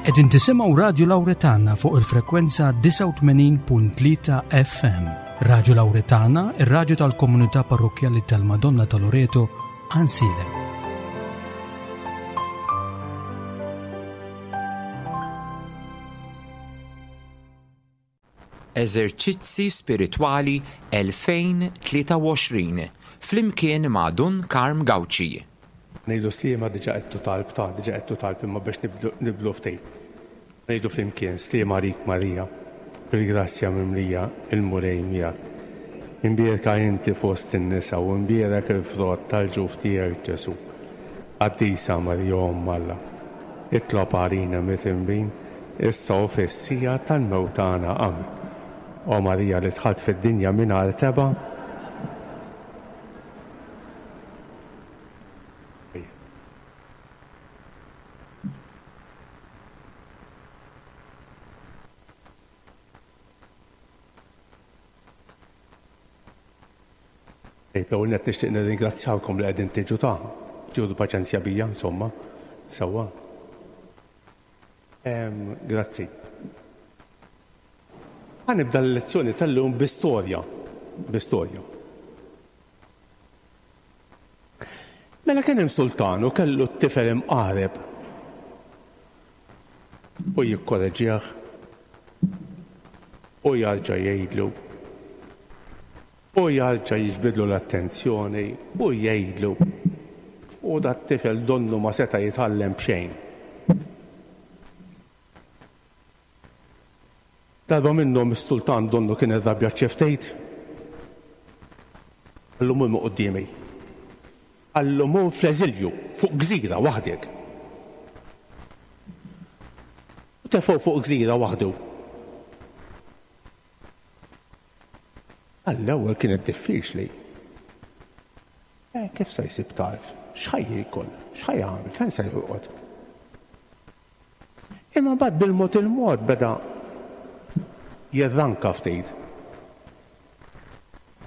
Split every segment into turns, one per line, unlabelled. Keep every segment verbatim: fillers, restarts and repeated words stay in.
Qegħdin tisimgħu Radju Lawretana fuq il-frekwenza disgħa u tmenin punt tlieta F M. Radju Lawretana, ir-radju tal-komunità parrokkjali tal-Madonna ta' Loreto, Għajnsielem.
Eżerċizzi Spiritwali elfejn tlieta u għoxrin flimkien ma' Dun Karm Gauci.
Ngħidu sliema diġà qedtu talb ta' diġà qedtu talb imma biex nibdu, nibdlu ftit. Ngħidu flimkien sliema għalik Marija, bil-grazzja mimlija il-Mulej miegħek. Imbierka inti fost in-nisa u imbierek il-frott tal-ġuf tiegħek Ġesu. Qaddisa Marija Omm Alla, itlob għalina midinbin, issa u fis-siegħa tal-mewt tagħna. Amen. O Marija li dħalt fid-dinja mingħajr tebgħa. L-ewwel nett nixtieq nirringrazzjawkom li qegħdin tiġu ta' tieħdu paċenzja bija, insomma, sewwa. Ehm, grazzi. Ħa nibda l-lezzjoni tal-lum bi storja, bi storja. Mela kien hemm sultan u kellu t-tifel imqareb u jikkoreġih u jarġa' jgħidlu u jarġa' jiġbidlu l-attenzjoni u jgħidlu u dat tifel donnu ma seta' jitgħallem b'xejn. Darba minnhom is-sultan donnu kien irrabjat xi ftit. Qallu mur minn quddiemi. Qallu mur fl-eżilju fuq gżira waħdek. U tefgħu fuq gżira waħdu. Għall-ewwel kienet diffiċli. Eh, kif se jsib tarf? X'ħaj jiekol? X'ħaj jagħmel? Fejn se jorqod? Imma mbagħad bil-mod il-mod beda jirranka ftit.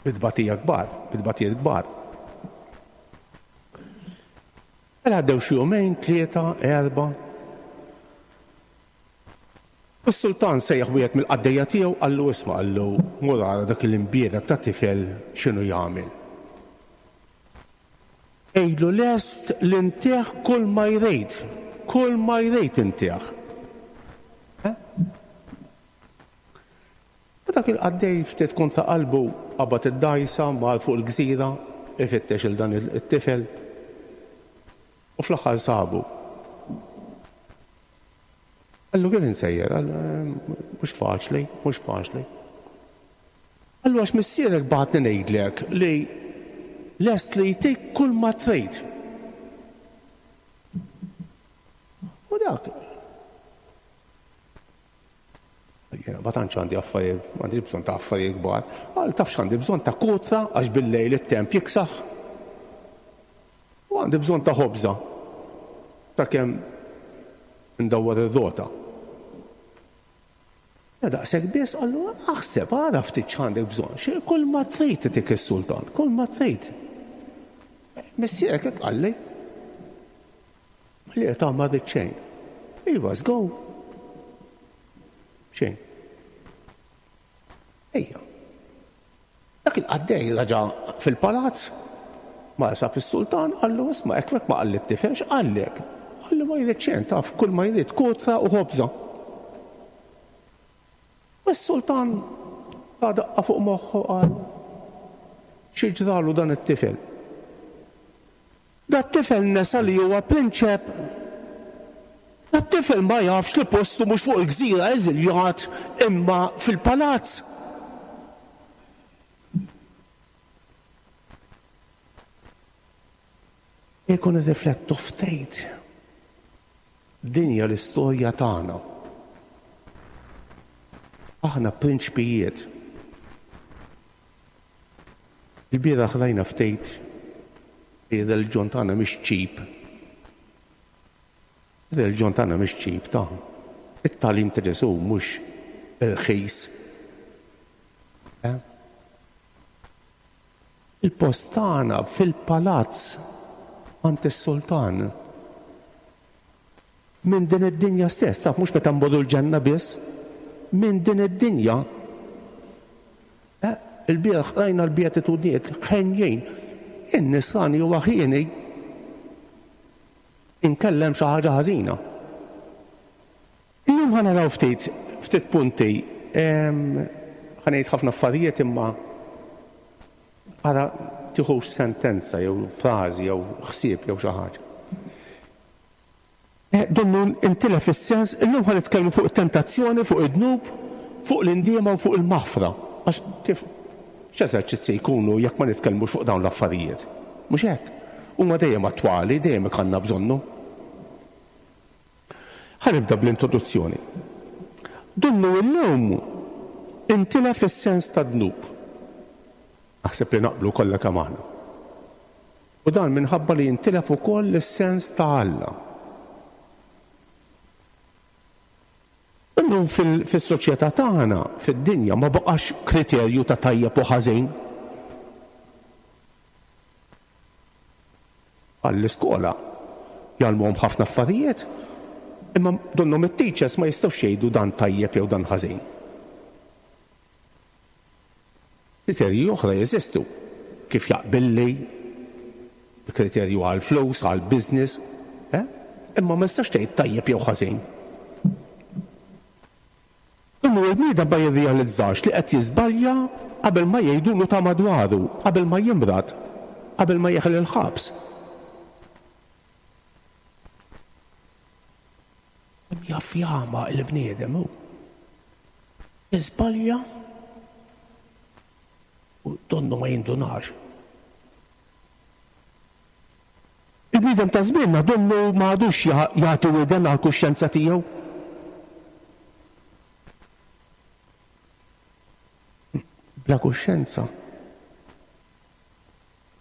Bit-tbatija kbar, bit-tbatijiet kbar. Mela għaddew xi jumejn, tlieta, erba'. U s-sultan sejjaħ wieħed mill-qaddejja tiegħu, qallu isma', qallu mur ara dak il-imbierek ta' tifel x'inhu jagħmel. Għidlu lest li ntih kull ma jrid, kull ma jrid intih. Eh? U dak il-qaddej ftit kontra qalbu qabad id-dgħajsa, mar fuq il-gżira, ifittex il dan it-tifel u fl-aħħar sabu. Qallu kif insejjer? Qallu, mhux faċli, mhux faċli. Qallu għax missierek bagħatni ngħidlek li lest li jtik kull ma trid. U dak jiena ma tantx għandi affarijiet, m'għandix bżonn ta' affarijiet kbar. Qal taf x'għandi bżonn ta' kutra għax bil-lejl it-temp jiksaħ. U għandi bżonn ta' ħobża ta' kemm ndawwar ir-rota. Ja daqshekk biss, qallu aħseb, ara ftit x'għandek bżonn. Xi kull ma trid itik is-sultan, kull ma trid. Missierek hekk qalli. Li qed ma rrid xejn. Iva, żgur. Xejn. Ejja. Dak il-qaddej raġa' fil-palazz, ma sab is-sultan, qallu isma' hekk hekk ma qalli t-tifel, x'qallek? Qallu ma jrid xejn, taf kull ma jrid kutra u ħobża. U s-sultan ta daqqa fuq moħħu qal xi ġralu dan it-tifel. Dat tifel nesa li huwa prinċep. Dat tifel ma jafx li postu mhux fuq il-gżira eżiljat imma fil-palazz. Jekk nirriflettu ftit, din hija l-istorja tagħna. Aħna prinċpijiet. Il-bieraħ rajna ftit li r-reliġjon tagħna mhix ċip. Ir-reliġjon tagħna mhix ċip ta' it-tagħlim ta' Ġesù mhux irħis. Eh? Il-post tagħna fil-palazz għand is-sultan. Minn din id-dinja stess, taf mhux meta nbodu l-ġenna biss, minn din id-dinja. Eh, il-bieraħ rajna l-beatitudnijiet ħenjin. In-nisrani huwa ħieni inkellem xi ħaġa ħażina. Illum ħa naraw ftit, ftit punti. Ħa ngħid ħafna affarijiet imma ara tiħux sentenza jew frażi jew ħsieb jew xi ħaġa. Eh, donnu intilef is-sens, illum ħa nitkellmu fuq it-tentazzjoni, fuq id-dnub, fuq l-indiema u fuq il-maħfra. Għax kif x'eżerċizzi jkunu jekk ma nitkellmux fuq dawn l-affarijiet? Mhux hekk. Huma dejjem attwali, dejjem għandna bżonnu. Ħa nibda bl-introduzzjoni. Donnu illum intilef is-sens ta' dnub. Naħseb li naqblu kollha kemm aħna. U dan minħabba li intilef ukoll is-sens ta' Alla. Illum fis-soċjetà tagħna, fid-dinja, ma baqax kriterju ta' tajjeb u ħażin. Għall-iskola jgħallmuhom ħafna affarijiet, imma donnhom it-teachers ma jistgħux jgħidu dan tajjeb jew dan ħażin. Kriterji oħra jeżistu, kif jaqbilli, kriterju għal flus, għal business, eh? Imma ma jistax tgħid tajjeb jew ħażin. Imma l-bniedem ma jirrealizzax li qed jiżbalja qabel ma jgħidulu ta' madwaru, qabel ma jimrad, qabel ma jeħel il-ħabs. Jaf jagħma l-bniedem hu. Jiżbalja u donnu ma jindunax. Il-bniedem ta' żmienna donnu ma għadux jagħti widen għall-kuxjenza tiegħu. Bla kuxjenza.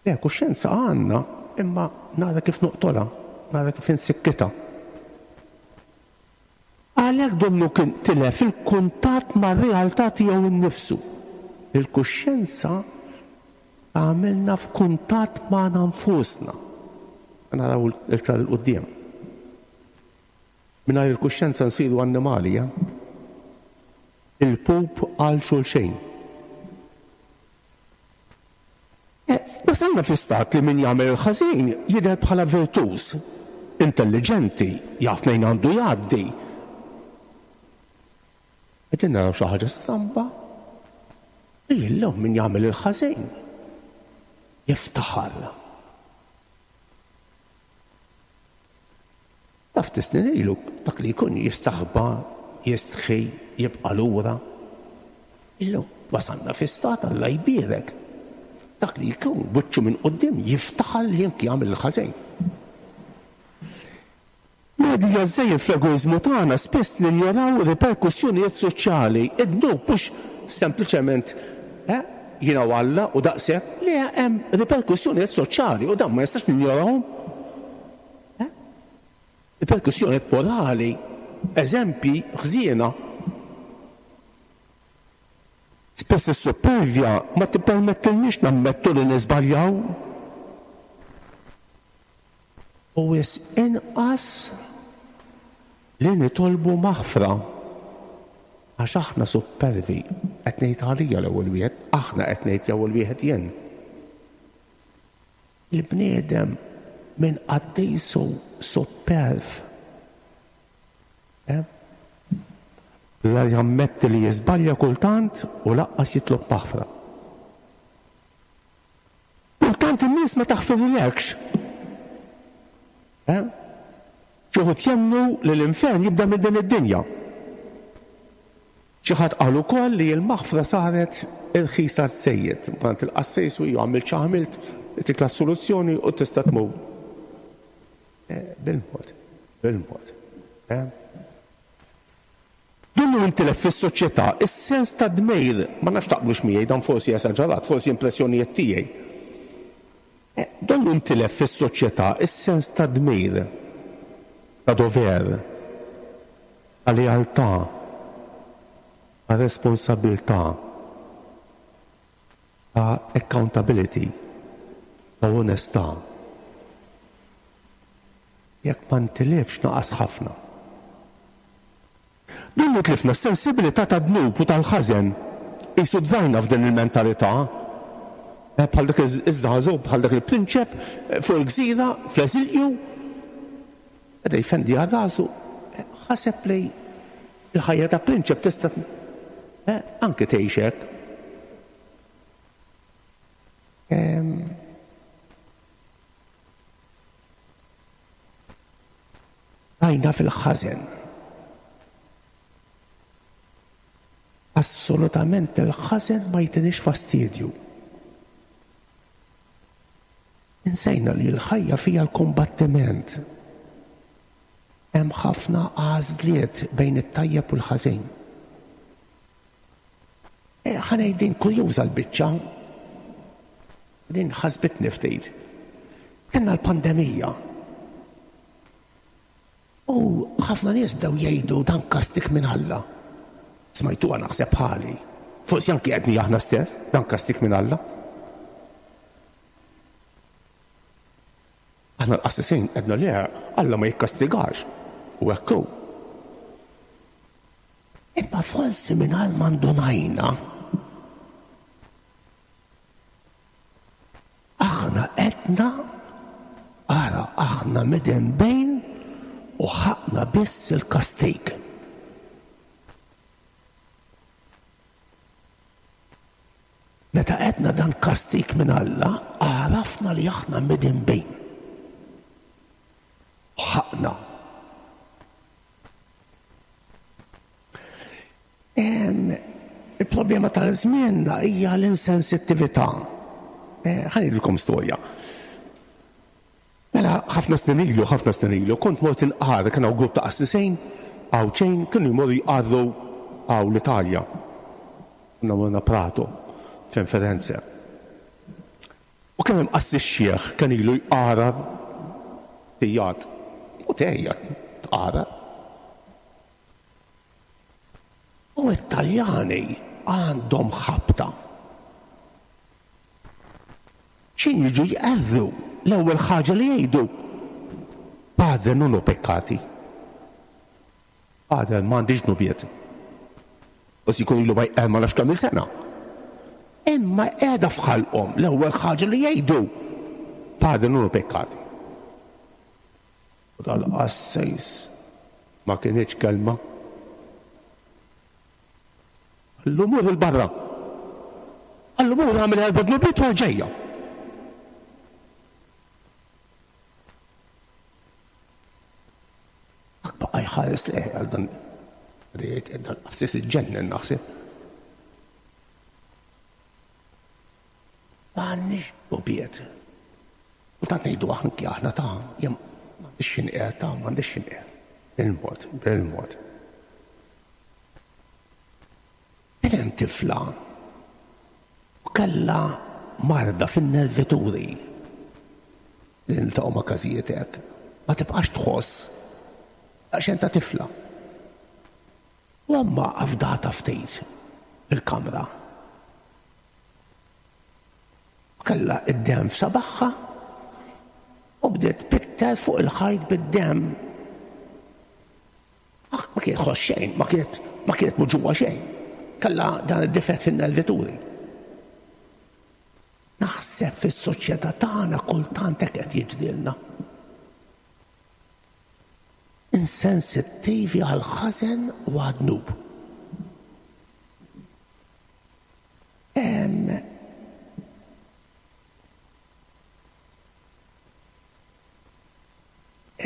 Le, kuxjenza għandna, imma nara kif noqtolha, nara kif insikkitha. Għalhekk donnu kien tilef il-kuntatt mar-realtà tiegħu nnifsu. Il-kuxjenza għamilna f'kuntatt magħna nfusna. Naraw iktar 'il quddiem. Mingħajr il-kuxjenza nsiru annimali, eh? Il-pup għal xulxejn. Wasalna fi stat li min jagħmel il-ħażin jidher bħala virtuż, intelligenti, jaf mejn għandu jgħaddi. Qegħdin naraw xi ħaġa stramba li illum min jagħmel il-ħażin jiftaħar. Taf tisnin ilu dak li jkun jistaħba, jistħi, jibqa' lura. Illum wasalna fi stat Alla jbierek. Dak li jkun buċċu minn quddiem jiftaħar li anki jagħmel il-ħażin. Medija żejjed fl-egoiżmu tagħna spiss ninjoraw riperkussjonijiet soċjali. Id-dnub mhux sempliċement eh, jiena u Alla u daqshekk, li hemm riperkussjonijiet soċjali u dan ma jistax ninjorawhom. Eh? Riperkussjonijiet morali, eżempji ħżiena. Spess is-supervja ma tippermettilniex nammettu li niżbaljaw. U wis inqas li nitolbu maħfra. Għax aħna supervi, qed ngħid għalija l-ewwel wieħed, aħna qed ngħid l-ewwel wieħed jien. Il-bniedem minn qaddisu superv. Eh? La jammetti li jiżbalja kultant u laqqas jitlob maħfra. Kultant in-nies ma taħfirilekx. Eh? Xi wħud jemmnu li l-infern jibda minn din id-dinja. Xi ħadd qal ukoll li l-maħfra saret irħisa żejjed. Mant il-qassejs u għamilt x'għamilt, tikla soluzzjoni u tista' tmur. Bil-mod, bil-mod. Donnu intilef fis-soċjetà is-sens ta' dmejr, ma nafx taqblux miegħi dan forsi esaġerat, forsi impressjonijiet tiegħi. Donnu intilef fis-soċjetà is-sens ta' dmir, ta' dover, ta' lealtà, ta' responsabilità, ta' accountability, ta' onestà. Jekk ma ntilefx naqas ħafna. Kemm tlifna s-sensibilità tad-dnub u tal-ħażen. Qisu dvarna f'din il-mentalità. Bħal dak iż-żagħżugħ, bħal dak il-prinċep fuq il-gżira fl-eżilju. Beda jfendi għal rasu, ħaseb li l-ħajja ta' prinċep tista' anke tgħix hekk. Rajna fil-ħażen. Assolutament il-ħażen ma jtinix fastidju. Insejna li l-ħajja fija l-kombattiment. Hemm ħafna għażliet bejn it-tajjeb u l-ħażin. Ħa ngħid din kurjuża l-biċċa. Din ħasbitni ftit. Kellna l-pandemija. U ħafna nies bdew jgħidu dan kastik minn Alla. Smajtuha naħseb bħali. Forsi anki għedni aħna stess, dan kastik minn Alla. Aħna l-qassisin għedna le, Alla ma jikkastigax. U hekk hu. Imma forsi mingħajr ma ndunajna, aħna għedna, ara aħna midinbejn u ħaqna biss il-kastig. Meta għedna dan kastig minn Alla, għarafna li aħna midinbejn. Ħaqna. Il-problema tal-żmien hija l-insensittività. Ħa ngħidilkom storja. Mela ħafna snin ilu, ħafna snin ilu, kont mort inqar, kien hawn grupp ta' qassisejn, Għawdxejn, kienu jmorru jqarru hawn l-Italja. Konna morna Prato, fejn Firenze. U kien hemm qassis xieħ kien ilu jqara tijat. U tejja tqara. U t-Taljani għandhom ħabta. X'in jiġu jqerru l-ewwel ħaġa li jgħidu, Padre non ho peccati. Padre m'għandix dnubiet. U si jkun ilu ma jqer ma nafx kemm il-sena. Imma qiegħda f'ħalqhom l-ewwel ħaġa li jgħidu, Padre non ho peccati. U dal-qassejs ma kienx kelma. Qallu mur il-barra. Qallu mur għamel erba' dnubiet u ġejja. Baqa' jħares lejh għal dan dan qassis iġġennen naħseb. Ma għandniex dnubiet. U tant ngħidu anki aħna ta' jien m'għandix x'inqer ta' m'għandix x'inqer. Bil-mod, bil-mod. Kien hemm tifla u kellha marda fin-nervituri li niltaqgħu ma' każijiet hekk. Ma tibqax tħoss għax ta' tifla. U ommha afdata ftit fil-kamra. Kellha id-demm f'sabaħħa u bdiet pitter fuq il-ħajt bid-demm. Ma kienet tħoss xejn, ma kienet ma kienet muġugħa xejn. Kellha dan id-difett fin-nervituri. Naħseb fis-soċjetà tagħna kultant hekk qed jiġrilna. Insensittivi għal ħażen u għad-dnub.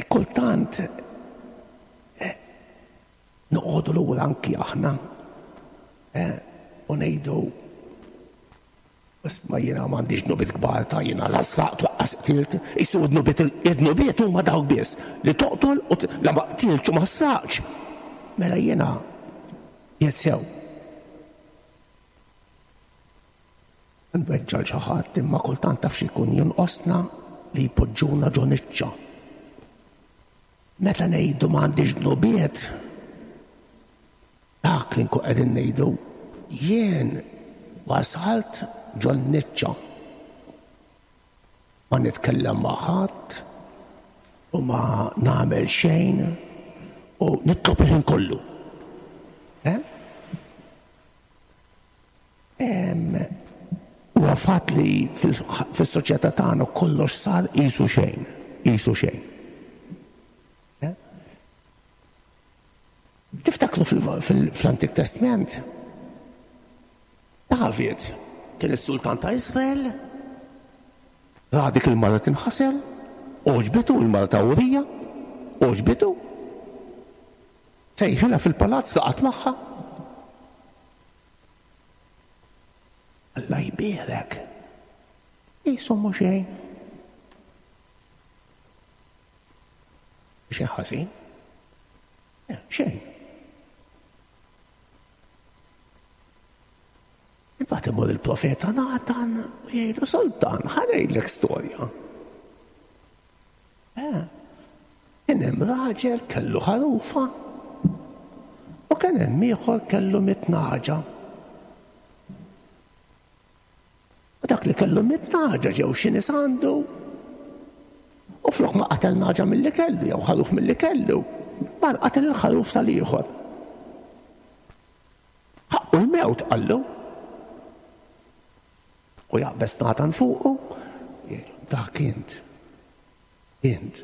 Kultant noqogħdu lura anki aħna u ngħidu isma' jiena m'għandix dnubiet kbar ta' jiena la sraqt waqqas qtilt, isu dnubiet id-dnubiet huma dawk biss li toqtol u la ma qtiltx u ma sraqtx. Mela jiena qiegħed sew. Nweġġa' xi ħadd imma kultant taf xi jkun jonqosna li jpoġġuna ġo niċċa. Meta ngħidu m'għandix dnubiet, dak li nkun qegħdin ngħidu jien wasalt ġo niċċa. Ma nitkellem ma' ħadd u ma nagħmel xejn u nitlob il-ħin kollu. Eh? Huwa fatt li fis-soċjetà tagħna kollox sar qisu xejn, qisu xejn. Eh? Tiftakru fl-Antik Testament? David kien is-sultan ta' Israel, ra dik il-mara tinħasel, għoġbitu il-mara ta' Urija, għoġbitu. Sejħilha fil-palazz laqat magħha. Alla jbierek. Qisu mhu xejn. Xejn ħażin? Xejn. Imbagħad imur il-profeta Natan u jgħidlu sultan, ħa ngħidlek storja. Eh, kien hemm raġel kellu ħarufa u kien hemm ieħor kellu mitt naġa. U dak li kellu mitt naġa ġew xi nies għandu u flok ma qatel naġa milli kellu jew ħaruf milli kellu, mar qatel il-ħaruf tal-ieħor. Ħaqqu l-mewt qallu. U jaqbeż Natan fuqu, dak int, int,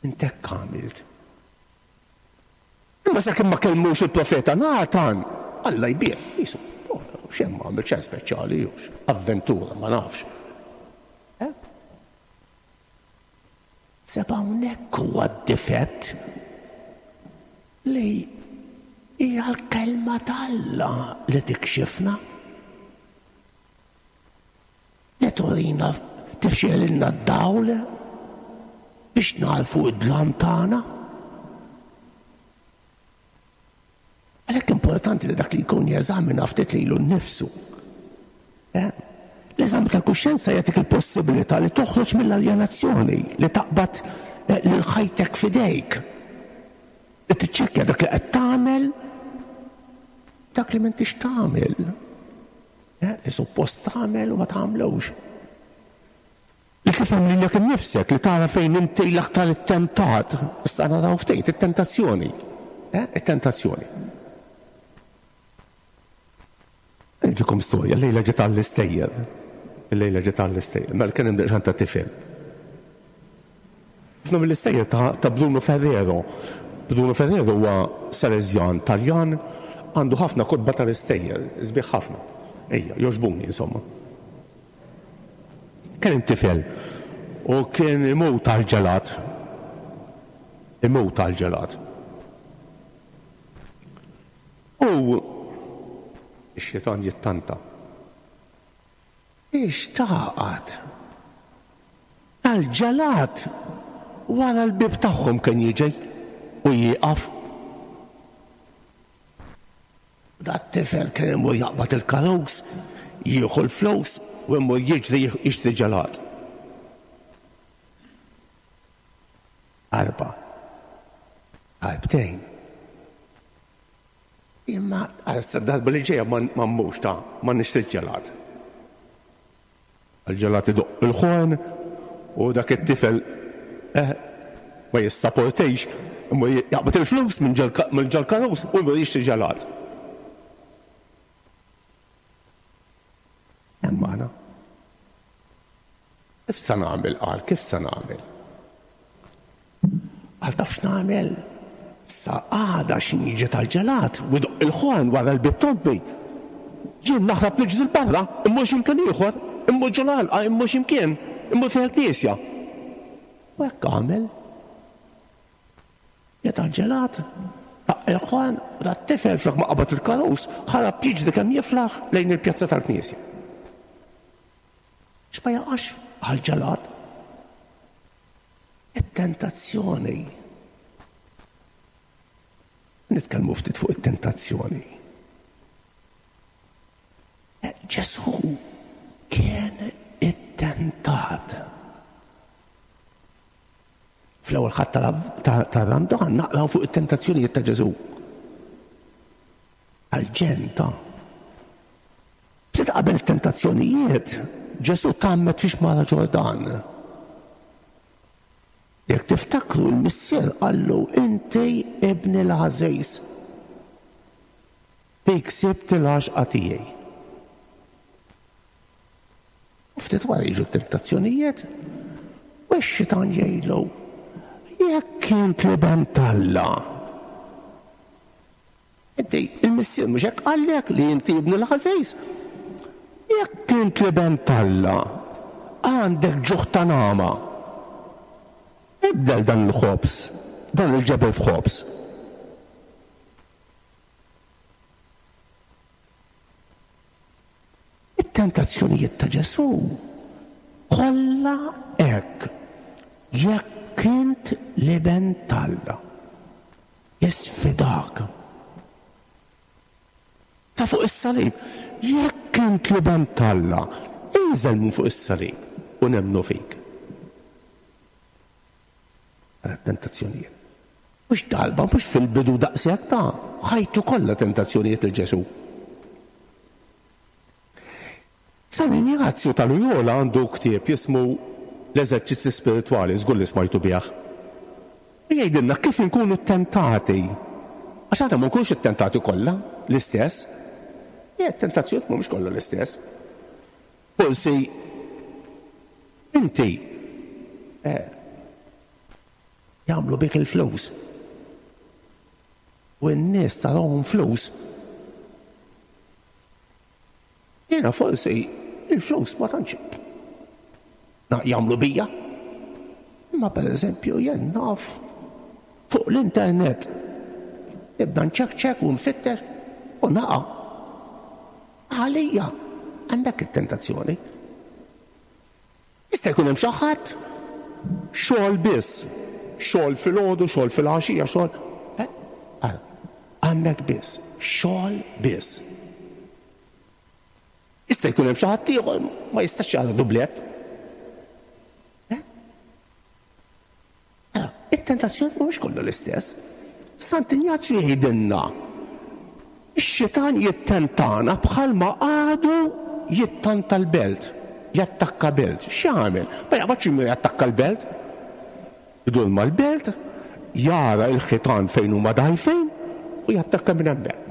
int hekk għamilt. Imma sakemm ma kellmux il-profeta Natan, Alla jbierek, jisu, xejn ma għamil xejn speċjali, jux, avventura, ma nafx. Seb hawnhekk huwa d-difett li hija l-kelma t'Alla li tikxifna. Li turina tifxelilna d-dawl biex narfu id-dlam tagħna. Għalhekk importanti li dak li jkun jeżamina ftit lilu nnifsu. L-eżami tal-kuxjenza jagħtik il-possibilità li toħroġ mill-aljenazzjoni, li taqbad lil ħajtek f'idejk, li tiċċekkja dak li qed tagħmel, dak li m'intix tagħmel. Li suppost tagħmel u ma tagħmlux. Li tifhem lilek innifsek, li tara fejn inti l-aktar ittentat. Issa naraw ftit it-tentazzjoni. It-tentazzjoni. Ngħidilkom storja, l-lejla ġiet għall-istejjer. Il-lejla ġiet għall-istejjer. Mela kien hemm daqsxejn ta' tifel. Ħafna mill-istejjer ta' Bruno Ferrero. Bruno Ferrero huwa Salesjan Taljan, għandu ħafna kotba tal-istejjer, sbieħ ħafna. Ejja, joġbuni, insomma. Kien hemm tifel u kien imut għall-ġelat. Imut għall-ġelat. U x-xitan jittanta. Ix taqgħad? Tal-ġelat wara l-bib tagħhom kien jiġi u jieqaf. Dat tifel kien imur jaqbad il-karus, jieħu l-flus u imur jiġri jixtri ġelat. Arba, darbtejn. Imma għal darba li ġejja ma mmux ta' ma nixtri ġelat. Il-ġelat idoq il-ħorn u dak it-tifel eh, ma jissaportejx, imur jaqbad il-flus minn ġol-karus u imur jixtri ġelat. Hemm aħna. Kif se nagħmel qal, kif se nagħmel? Qal taf x'nagħmel? Sa għada x'in jiġi tal-ġelat u jdoq il-ħorn wara l-bib tobbi. Jien naħrab niġri 'l barra, immur x'imkien ieħor, immur ġol għalqa, immur x'imkien, immur fejn il-knisja. U hekk għamel. Ġie tal-ġelat, daq il-ħorn u dat tifel flok ma qabad il-karus, ħarab jiġri kemm jiflaħ lejn il-pjazza tal-knisja. X'ma jaqax għal-ġelat? It-tentazzjoni. Nitkellmu ftit fuq it-tentazzjoni. Ġesù kien ittentat. Fl-ewwel Ħadd tar-Randan naqraw fuq it-tentazzjonijiet ta' Ġesù. Għal-ġenta. Ftit qabel it-tentazzjonijiet, Ġesù tgħammed fi xmara Ġordan. Jekk tiftakru l-missier qallu inti ibni l-għażiż. Fik sibt il-għaxqa tiegħi. U ftit wara jiġu tentazzjonijiet, u x-xitan jgħidlu, jekk int l-Iben t'Alla. Inti, il-Missier mhux hekk qallek li inti ibnu l-għażiż. Jekk int l-Iben t'Alla, għandek ġuħ ta' nagħma. Ibdel dan il-ħobż, dan il-ġebel f'ħobż. It-tentazzjonijiet ta' Ġesù kollha hekk. Jekk int l-Iben t'Alla, jisfidak. Ta' fuq is-salib, jekk int l-Iben t'Alla, inżel minn fuq is-salib u nemmnu fik. Għara tentazzjonijiet. Mhux darba, mhux fil-bidu daqshekk ta' ħajtu kollha tentazzjonijiet il Ġesù. San Injazju ta' Loyola għandu ktieb jismu L-Eżerċizzi Spiritwali, żgur li smajtu bih. Jgħidilna kif inkunu ttentati. Għax aħna ma nkunux ittentati kollha l-istess. Jgħid tentazzjonijiet mhumiex kollha l-istess. Forsi inti eh, jagħmlu bik il-flus. U n-nies tarahom flus. Jiena forsi il-flus ma tantx jagħmlu bija. Imma pereżempju jien naf fuq l-internet nibda nċekċek u nfitter u naqa'. Għalija għandek it-tentazzjoni. Jista' jkun hemm xi ħadd xogħol biss, xogħol filgħodu, xogħol filgħaxija, xogħol. Għandek biss, xogħol biss. Jista' jkun hemm xi ħadd ieħor ma jistax jagħmel dublett. It-tentazzjoni mhumiex kollha l-istess. Sant'Injazju jgħidilna ix-xitan jittentana bħalma għadu jittanta l-belt, jattakka belt. X'jagħmel? Ma jaqbadx imur jattakka l-belt. Idur mal-belt, jara l-ħitan fejn huma dgħajfin u jattakka minn hemmhekk.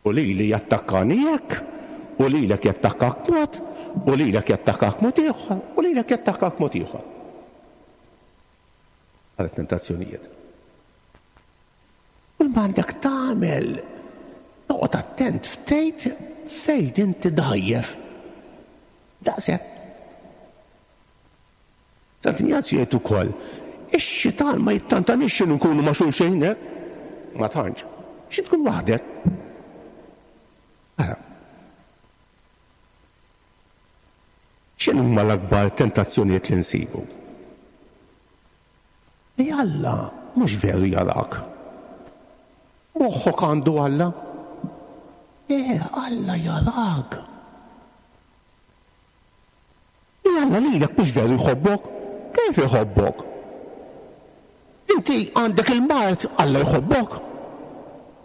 U lili jattakkani hekk, u lilek jattakkak mod, u lilek jattakkak mod ieħor, u lilek jattakkak mod ieħor. Għal tentazzjonijiet. Kull ma għandek tagħmel, toqgħod attent ftejt fejn inti dgħajjef. Daqshekk. Sant'Injazju jgħid ukoll, ix-xitan ma jittantanix xi nkunu ma' xulxin hekk. Ma tantx. Xi tkun waħdek. Ara. X'inhuma l-akbar tentazzjonijiet li nsibu? Li Alla mhux veru jarak. Moħħok għandu Alla. Eh, Alla jarak. Li Alla lilek mhux veru jħobbok. Kif jħobbok? Inti għandek il-mard, Alla jħobbok.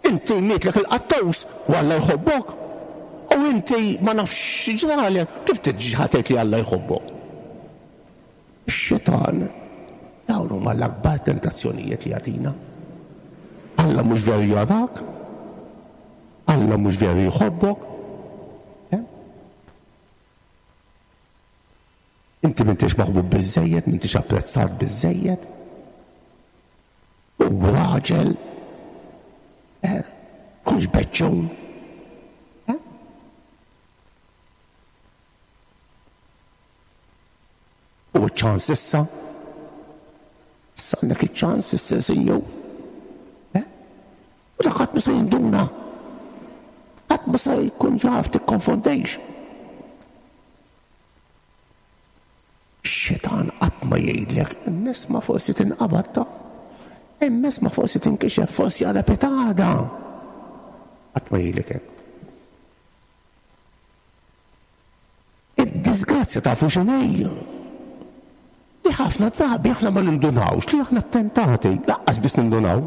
Inti mietlek il-qattus, u Alla jħobbok. U inti ma nafx ġralek, kif tiġi ħatejt li Alla jħobbok? Ix-xitan, dawn huma l-akbar tentazzjonijiet li jagħtina. Alla mhux veru jarak, Alla mhux veru jħobbok. Inti m'intix maħbub biżżejjed, m'intix apprezzat biżżejjed. U raġel, eh, kunx beċċun. Eh? U ċ-ċans issa. Issa għandek iċ-ċans issa sinjur. Eh? U dak ħadd ma se jinduna. Ħadd ma se jkun jaf tikkonfondejx. Ix-xitan qatt ma jgħidlek, immes ma forsi tinqabad ta', immes ma forsi tinkixef, forsi għala petada. Qatt ma jgħidlek hekk. Id-disgrazzja tafu x'inhi. Li ħafna drabi aħna ma nindunawx li aħna ttentati, lanqas biss nindunaw.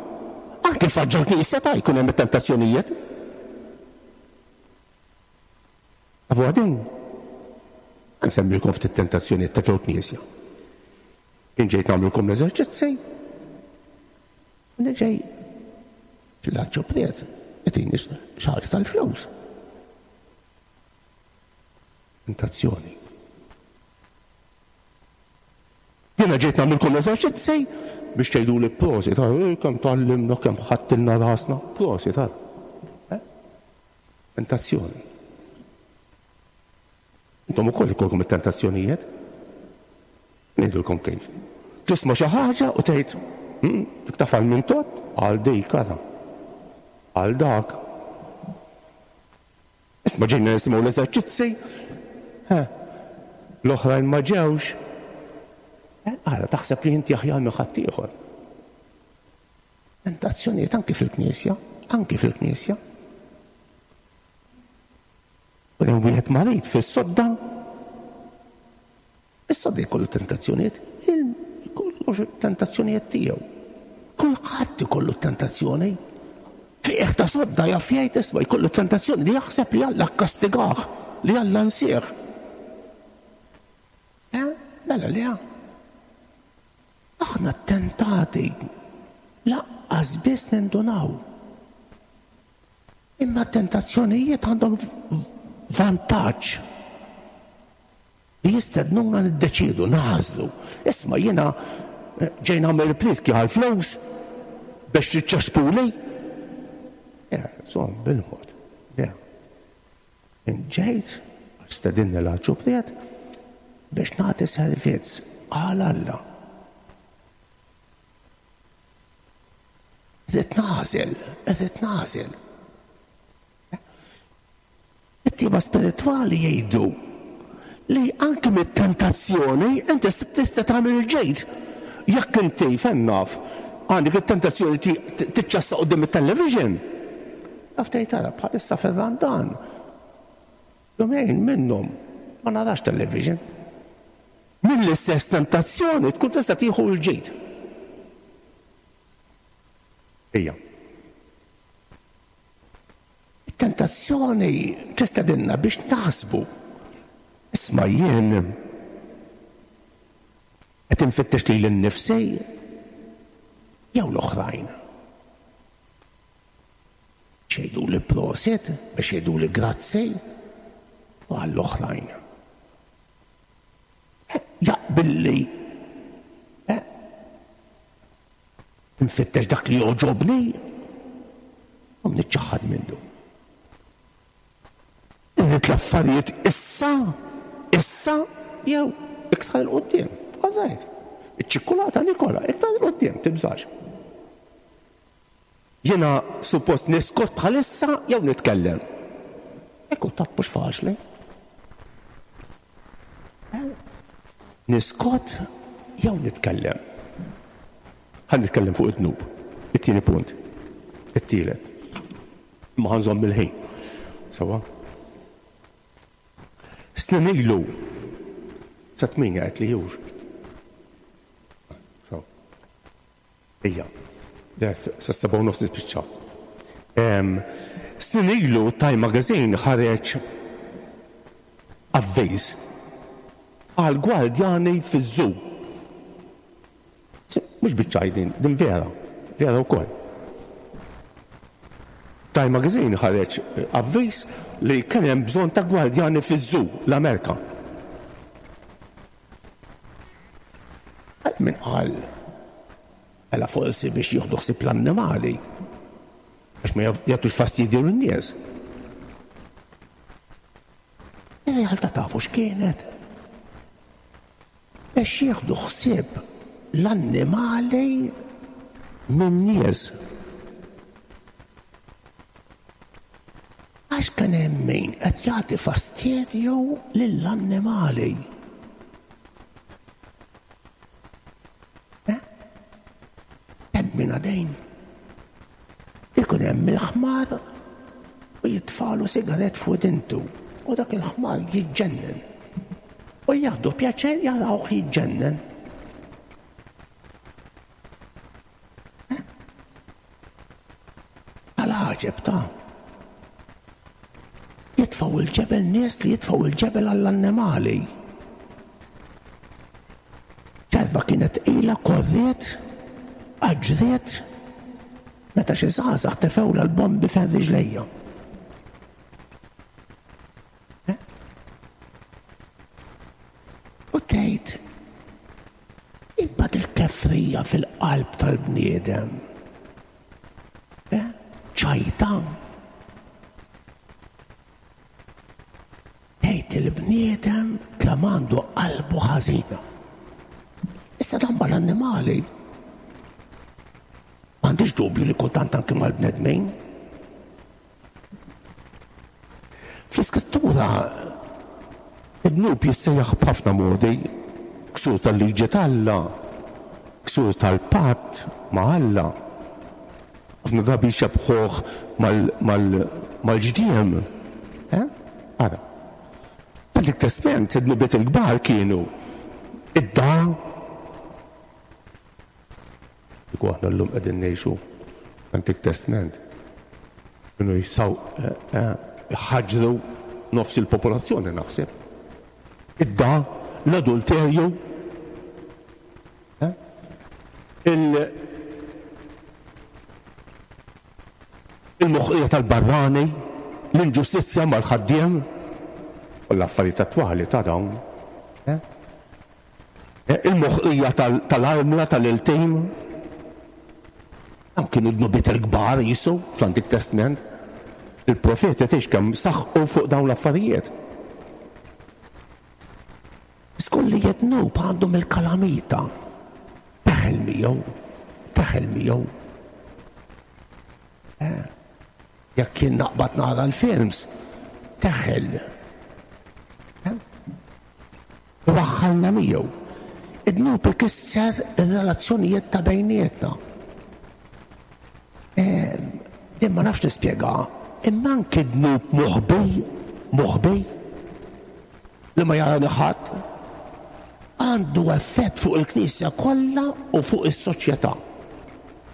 Anke faġġa l-knisja ta' jkun hemm it-tentazzjonijiet. Tafu għadin? Nsemmilkom ftit tentazzjonijiet ta' ġol knisja. Jien ġejt nagħmlilkom l-eżerċizzi. Ġej fil-ħaġġopriet. Itini xi ħaġa tal-flus. Tentazzjoni. Jiena ġejt nagħmilkom eżerċizzi biex tgħiduli prosit, kemm tgħallimna, kemm ħadtilna rasna, prosit, tentazzjoni. Intom ukoll ikollkom it-tentazzjonijiet. Ngħidulkom kif. Tisma' xi ħaġa u tgħid, dik tafal minn tot għal dik ara. Għal dak. Isma' ġejna nisimgħu l-eżerċizzi. L-oħrajn ma ġewx. Ara taħseb li inti aħjar minn ħaddieħor. Tentazzjonijiet anki fil-Knisja, anki fil-Knisja. U hemm wieħed marid fis-sodda. Is-sodda jkollu tentazzjonijiet, jkollu tentazzjonijiet tiegħu. Kulħadd ikollu tentazzjoni. Fih ta' sodda jaf jgħid isma' jkollu tentazzjoni li jaħseb li Alla kkastigah, li Alla nsieħ. Eh? Mela le. Aħna ttentati laqqas biss nindunaw. Imma t-tentazzjonijiet għandhom vantaġġ li jistednuna niddeċiedu, nagħżlu. Isma' jiena ġej nagħmel prietki għall-flus biex tiċċaxpuli. Insomma, bil-mod. Ġejt, stedinni l-arċupriet biex nagħti servizz għal Alla. Irrid nagħżel, irrid nagħżel. It-tieba spiritwali jgħidu li anke mit-tentazzjoni inti tista' tagħmel il-ġid. Jekk inti fejn naf għandek it-tentazzjoni tiċċassa quddiem it-television. Taf tgħid ara bħalissa fir-Randan. Jumejn minnhom ma narax television. Mill-istess tentazzjoni tkun tista' tieħu l-ġid. Ejja. Tentazzjoni tistedinna biex naħsbu. Isma' jien qed infittex lili nnifsi jew l-oħrajn. Biex jgħiduli prosit, biex jgħiduli grazzi u għall-oħrajn. Jaqbilli nfittex dak li jogħġobni u niċċaħħad minnu. Irrid l-affarijiet issa, issa jew iktar 'il quddiem. All right. Iċ-ċikkulata nikola, iktar 'il quddiem, tibżax. Jiena suppost niskot bħalissa jew nitkellem. Ekku taf mhux faċli. Niskot jew nitkellem. Ħa nitkellem fuq id-dnub. It-tieni punt. It-tielet. Ma ħanżomm il-ħin. Sawa? Snin ilu sa tminja qed li jux. Ejja. Sa seba' u nofs nispiċċaw. Snin ilu Time Magazine ħareġ avviż għal gwardjani fiż-żoo. Mhux biċċaj din, din vera, vera wkoll. Time Magazine ħareġ avviż li kien hemm bżonn ta' gwardjani fiż-żoo l-Amerika. Min qal mela forsi biex jieħdu ħsieb l-annimali biex ma jagħtux fastidju lin-nies. Ir-realtà tafu x'kienet? Biex jieħdu ħsieb l-annimali min-nies. Għax kien hemm min qed jagħti fastidju lill-annimali. Hemm min għadejn. Ikun hemm il-ħmar u jitfalu sigaret fuq dintu u dak il-ħmar jiġġennen. U jieħdu pjaċir jarawh jiġġennen. Tal-għaġeb ta' jitfgħu il-ġebel nies li jitfgħu il-ġebel għall-annimali. Ċerva kienet tqila korriet, aġriet, Meta xi żgħażagħ tefewla l-bombi fejn riġlejja. U tgħid imbagħad il-kefrija fil-qalb tal-bniedem. Ċajta. Tgħid il-bniedem kemm għandu qalbu ħażina. Issa dan mal-annimali. M'għandix dubju li kultant anke mal-bnedmin. Fl-iskrittura id-dnub jissejjaħ b'ħafna modi, ksur tal-liġi t'Alla, ksur tal-patt ma' Alla. Ħafna drabi jxebbħuh mal-ġdiem. Ara. Fl-Antik Testament id-dnubiet il-kbar kienu id-da. Kieku aħna llum qegħdin ngħixu Antik Testament, kienu jisaw ħaġru nofs il-popolazzjoni naħseb. Id-da, l-adulterju, il-moħqija tal-barrani, l-inġustizzja mal-ħaddiem, u l-affarijiet attwali ta' dawn. Il-moħqija tal-armla tal-iltim. Dawn kienu dnubiet il-kbar jisu fl-Antik Testament. Il-profeti tgħix kemm saħqu fuq dawn l-affarijiet. Skolli jednub għandhom il-kalamita. Teħel miegħu, teħel miegħu. Jekk kien naqbad nara l-films, teħel. Waħħalna miegħu. Id-dnub ikisser ir-relazzjonijiet ta' bejnietna. Din ma nafx nispjega, imma anke dnub moħbi, moħbi, li ma jarani ħadd, għandu effett fuq il-Knisja kollha u fuq is-soċjetà.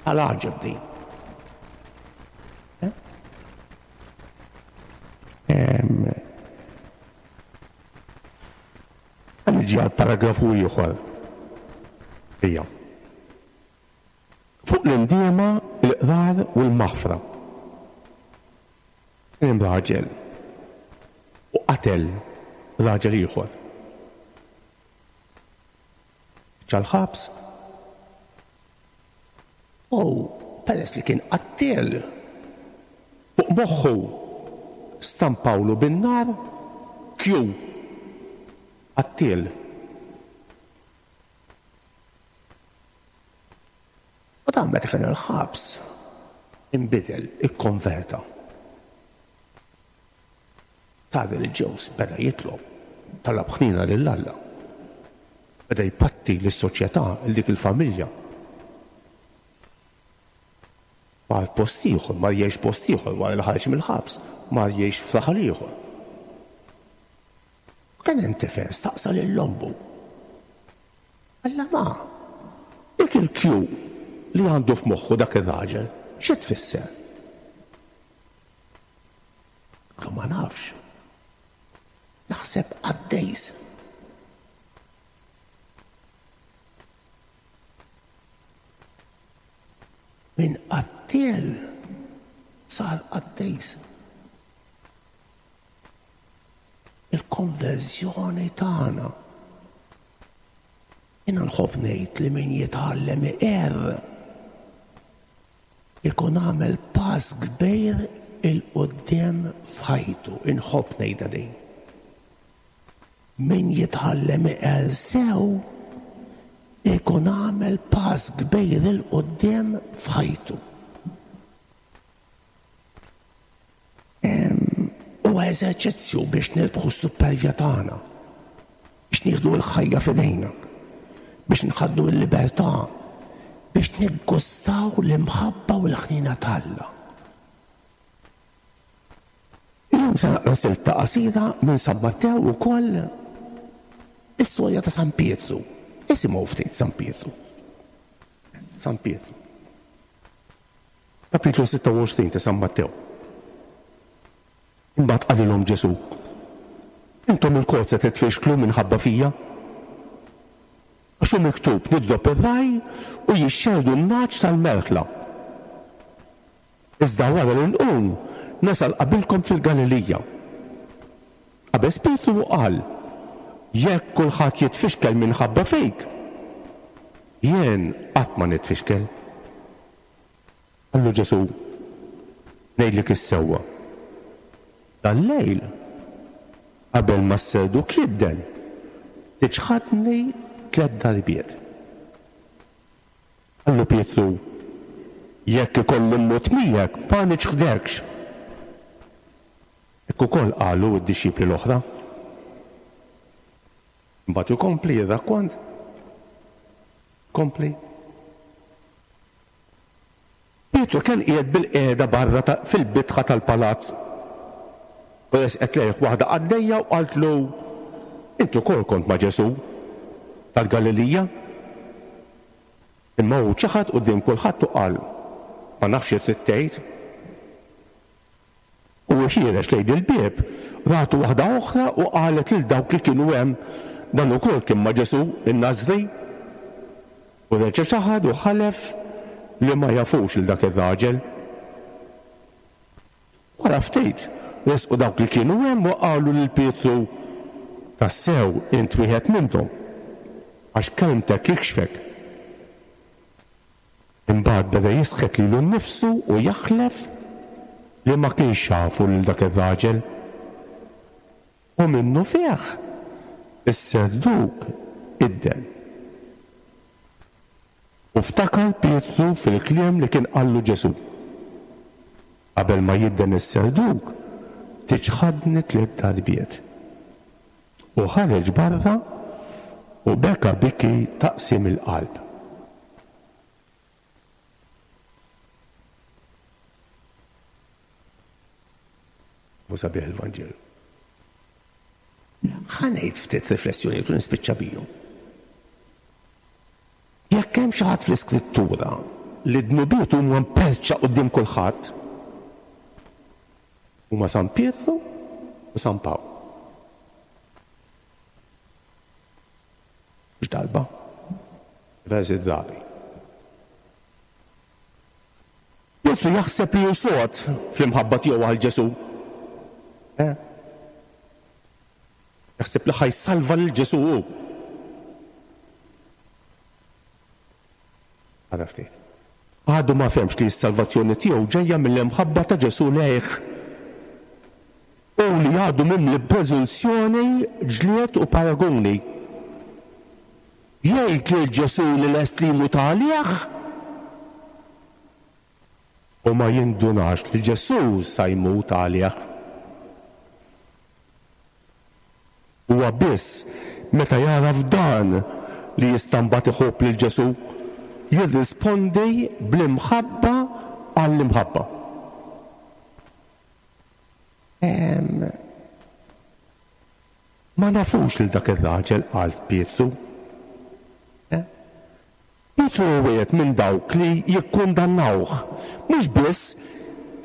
Għal għaġeb din. Niġi għal paragrafu ieħor. Ija. Fuq l-indiema, l-iqrar u l-maħfra. Kien raġel u qatel raġel ieħor. Ġal-ħabs. U peress li kien qattiel, fuq moħħu stampawlu bin-nar Q qattiel. U dan meta kien il-ħabs inbidel, ikkonverta. Sar reliġjuż, beda jitlob, talab ħnina lil Alla. Beda jpatti lis-soċjetà, lil dik il-familja. Mar post ieħor, mar jgħix post ieħor wara li ħareġ mill-ħabs, mar jgħix f'raħal ieħor. Kien hemm tifel staqsa lil ommu. Alla ma, dik il-Q li għandu f'moħħu dak ir-raġel, xi tfisser? Klu ma nafx. Naħseb qaddejs. Min qattiel sar qaddejs. Il-konverżjoni tagħna. Jiena nħobb ngħid li min jitgħallem iqerr ikun għamel pass kbir il-quddiem f'ħajtu. Inħobb ngħidha din. Min jitgħallem iqerr sew ikun għamel pass kbir il-quddiem f'ħajtu. Huwa eżerċizzju biex nirbħu s-supervja tagħna, biex nieħdu l-ħajja f'idejna, biex nħaddu l-libertà, biex niggustaw l-imħabba u l-ħnina t'Alla. Illum se naqra silta qasira minn San Mattew ukoll is-storja ta' San Pietru. Isimgħu ftit San Pietru. San Pietru. Kapitlu sitta u għoxrin ta' San Mattew. Imbagħad qalilhom Ġesù: Intom ilkoll se titfixklu minħabba fija? Għax hu miktub nidrob ir-raj u jixxerdu n-nagħaġ tal-merħla. Iżda wara li nqum nasal qabilkom fil-Galilija. Qabeż Pietru u qal, jekk kulħadd jitfixkel minħabba fik, jien qatt ma nitfixkel. Qallu Ġesù, ngħidlek is-sewwa. Dal-lejl, qabel ma s-serduk jidden, tiċħadni tliet darbiet. Qallu Pietru, jekk ikolli mmut miegħek ma niċħdekx. Hekk ukoll qalu d-dixxipli l-oħra. Mbagħad ikompli r-rakkont. Kompli. Pietru kien qiegħed bil-qiegħda barra fil-bitħa tal-palazz. U resqet lejh waħda qaddejja u qaltlu, int ukoll kont ma' Ġesù tal-Galilija. Imma hu ċaħad quddiem kulħadd u qal, ma nafx xi trid tgħid. U ħiereġ lejn il-bieb, ratu waħda oħra u qalet lil dawk li kienu hemm, dan ukoll kien ma' Ġesù in-Nażri. U reġa' ċaħad u ħalef li ma jafux lil dak ir-raġel. Wara ftit, resqu dawk li kienu hemm u qalu lil Pietru, tassew int wieħed minnhom, għax kelmtek jikxfek. Imbagħad beda jisħet lilu nnifsu u jaħlef li ma kienx jafu lil dak ir-raġel. U minnu fih is-serduk idden. U ftakar Pietru fil-kliem li kien qallu Ġesù. Qabel ma jidden is-serduk, tiċħadni tliet darbiet. U ħareġ barra u beka biki taqsim il-qalb. U sabiħ il-Vanġelu. Ħa ngħid ftit riflessjonijiet u nispiċċa bihom. Jekk hemm xi ħadd fl-Iskrittura li dnubiet huma mperċa quddiem kulħadd, huma San Pietru u San Pawl. Mhux darba, diversi drabi. Pietru jaħseb li hu sod fl-imħabba tiegħu għal Ġesù. Eh? Jaħseb li ħa jsalva lil Ġesù hu. Għada ftit. Għadu ma fehmx li s-salvazzjoni tiegħu ġejja mill-imħabba ta' Ġesù lejh. U li għadu mimli preżunzjoni, ġlied u paragoni. Jgħid lil Ġesù li lest li jmut għalih u ma jindunax li Ġesù sa jmut għalih. Huwa biss meta jaraf dan li jista' mbagħad iħobb lil Ġesù, jirrispondi bl-imħabba għall-imħabba. Ma nafux lil dak ir-raġel, qal Pietru. Pietru wieħed minn dawk li jikkundannawh, mhux biss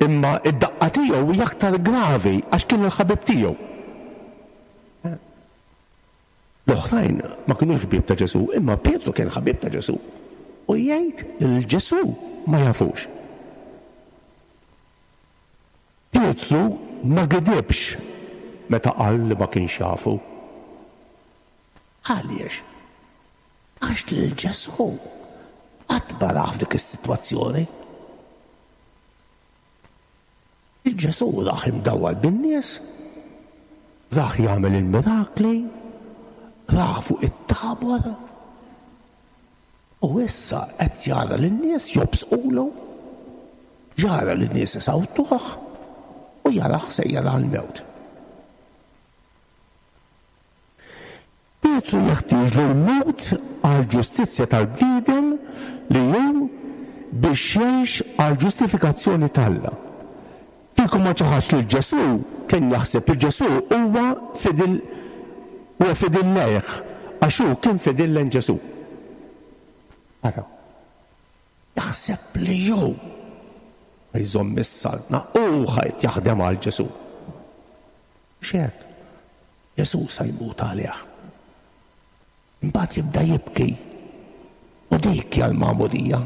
imma id-daqqa tiegħu hija aktar gravi għax kien il-ħabib tiegħu. L-oħrajn ma kinux ħbieb ta' Ġesù, imma Pietru kien ħabib ta' Ġesù. U jgħid lil Ġesù ma jafux. Pietru ma gidibx meta qal li ma kienx jafu. Għaliex? Għax lil Ġesù qatt ma rah f'dik is-sitwazzjoni. Il-Ġesù rah imdawwar bin-nies, rah jagħmel il-mirakli, rah fuq it-tabor, u issa qed jara lin-nies jobsqulu, jara lin-nies isawtuh u jarah sejjer għall-mewt. Pietru jeħtieġ li jmut għall-ġustizzja tal-bniedem li hu biex jgħix għall-ġustifikazzjoni t'Alla. Kieku ma ċaħax lil Ġesù, kien jaħseb li Ġesù huwa fidil huwa fidil lejh, għax hu kien fidil lejn Ġesù. Ara, jaħseb li hu jżomm is-saltna u ħajt jaħdem għal Ġesù. Mhux hekk. Ġesù sa jmut għalih. Imbagħad jibda jibki. U dik hija l-magħmudija.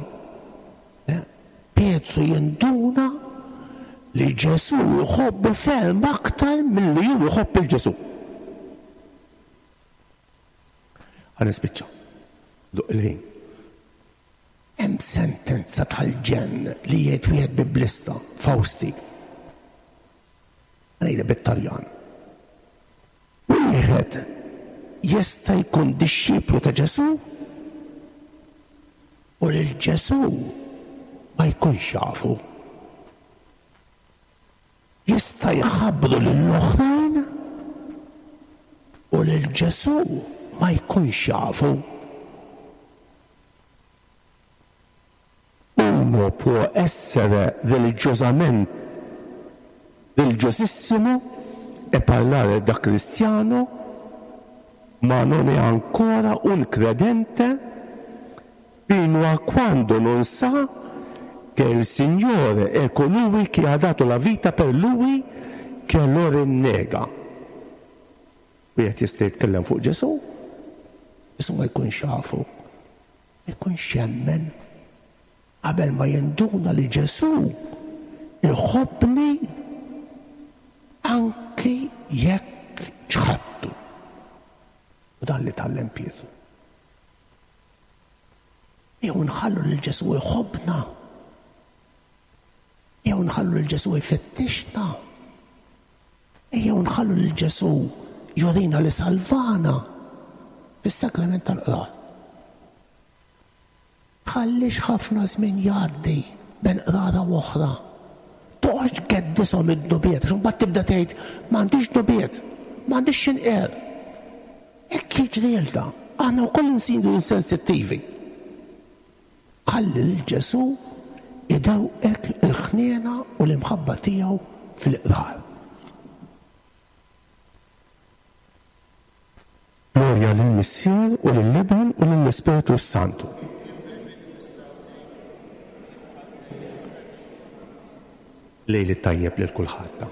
Pietru jinduna li Ġesù jħobbu ferm aktar milli hu jħobb il Ġesù. Ħa nispiċċa. Duq il-ħin. Hemm sentenza tal-ġenn li jgħid wieħed biblista, Fausti. Ngħidha bit-Taljan. Wieħed jista' jkun dixxiplu ta' Ġesù u lil Ġesù ma jkunx jafu. Jista' jħabbru lill-oħrajn u lil Ġesù ma jkunx jafu. Uno può essere religiosamente religiosissimo e parlare da cristiano, ma non è ancora un credente fino a quando non sa che il Signore è colui che ha dato la vita per lui, che lo rinnega. Wieħed jista' jitkellem fuq Ġesù, Ġesù ma jkunx jafu, ma jkunx jemmen, qabel ma jinduna li Ġesù iħobbni anki jekk ċħadtu. U dan li tgħallem Pietru. Jew nħallu lil Ġesù jħobbna. Jew nħallu lil Ġesù jfittixna. Jew nħallu lil Ġesù jurina li salvana fis-sagrament tal-qrar. Tħallix ħafna żmien jgħaddi bejn qrara u oħra. Toqgħodx tgeddishom id-dnubiet, għax imbagħad tibda tgħid m'għandix dnubiet, m'għandix x'inqer. Hekk jiġrilna, aħna wkoll insiru insensittivi. Ħalli lil Ġesù idewqek il-ħniena u l-imħabba tiegħu fil-qrar. Glorja lill-Missier u lill-Iben u lill-Ispirtu s-Santu. Lejl it-tajjeb lil kulħadd.